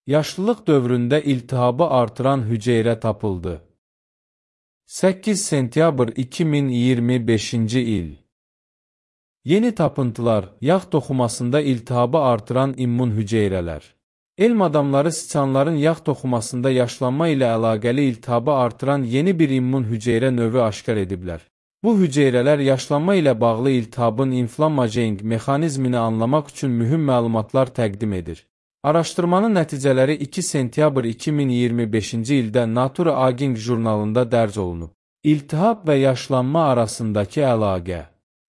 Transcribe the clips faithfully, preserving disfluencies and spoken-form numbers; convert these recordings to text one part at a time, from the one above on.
Yaşlılıq dövründə iltihabı artıran hüceyrə tapıldı. səkkiz sentyabr iki min iyirmi beşinci il. Yeni tapıntılar, yağ toxumasında iltihabı artıran immun hüceyrələr. Elm adamları siçanların yağ toxumasında yaşlanma ilə əlaqəli iltihabı artıran yeni bir immun hüceyrə növü aşkar ediblər. Bu hüceyrələr yaşlanma ilə bağlı iltihabın inflammagenik mexanizmini anlamaq üçün mühüm məlumatlar təqdim edir. Araşdırmanın nəticələri iki sentyabr iki min iyirmi beşinci ildə Nature Aging jurnalında dərc olunub. İltihab və yaşlanma arasındakı əlaqə.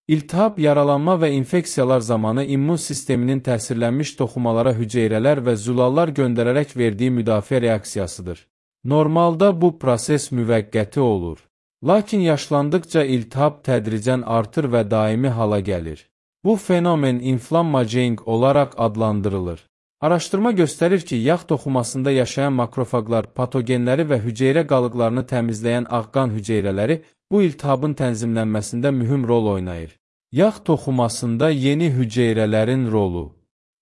İltihab, yaralanma və infeksiyalar zamanı immun sisteminin təsirlənmiş toxumalara hüceyrələr və zülallar göndərərək verdiyi müdafiə reaksiyasıdır. Normalda bu proses müvəqqəti olur. Lakin yaşlandıqca iltihab tədricən artır və daimi hala gəlir. Bu fenomen inflammagenik olaraq adlandırılır. Araşdırma göstərir ki, yağ toxumasında yaşayan makrofaqlar patogenləri və hüceyrə qalıqlarını təmizləyən ağqan hüceyrələri bu iltihabın tənzimlənməsində mühüm rol oynayır. Yağ toxumasında yeni hüceyrələrin rolu.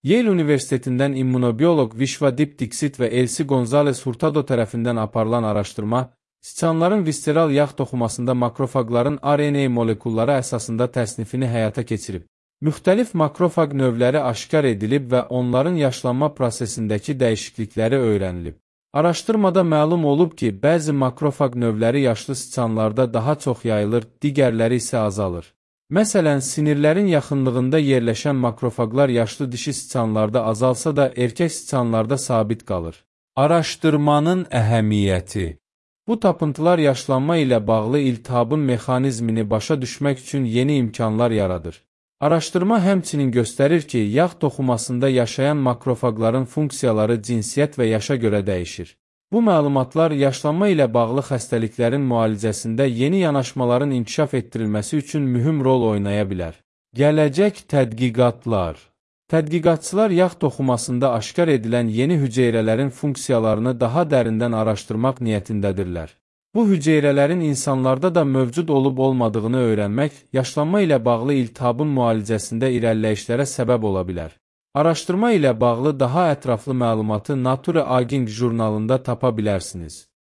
Yale Universitetindən immunobioloq Vishwadip Dixit və Elsie Gonzalez Hurtado tərəfindən aparılan araşdırma, siçanların visceral yağ toxumasında makrofaqların R N A molekulları əsasında təsnifini həyata keçirib. Müxtəlif makrofaq növləri aşkar edilib və onların yaşlanma prosesindəki dəyişiklikləri öyrənilib. Araşdırmada məlum olub ki, bəzi makrofaq növləri yaşlı siçanlarda daha çox yayılır, digərləri isə azalır. Məsələn, sinirlərin yaxınlığında yerləşən makrofaqlar yaşlı dişi siçanlarda azalsa da, erkək siçanlarda sabit qalır. Araşdırmanın əhəmiyyəti. Bu tapıntılar yaşlanma ilə bağlı iltihabın mexanizmini başa düşmək üçün yeni imkanlar yaradır. Araşdırma həmçinin göstərir ki, yağ toxumasında yaşayan makrofaqların funksiyaları cinsiyyət və yaşa görə dəyişir. Bu məlumatlar yaşlanma ilə bağlı xəstəliklərin müalicəsində yeni yanaşmaların inkişaf etdirilməsi üçün mühüm rol oynaya bilər. Gələcək tədqiqatlar. Tədqiqatçılar yağ toxumasında aşkar edilən yeni hüceyrələrin funksiyalarını daha dərindən araşdırmaq niyyətindədirlər. Bu hüceyrələrin insanlarda da mövcud olub-olmadığını öyrənmək, yaşlanma ilə bağlı iltihabın müalicəsində irəliləyişlərə səbəb ola bilər. Araşdırma ilə bağlı daha ətraflı məlumatı Nature Aging jurnalında tapa bilərsiniz.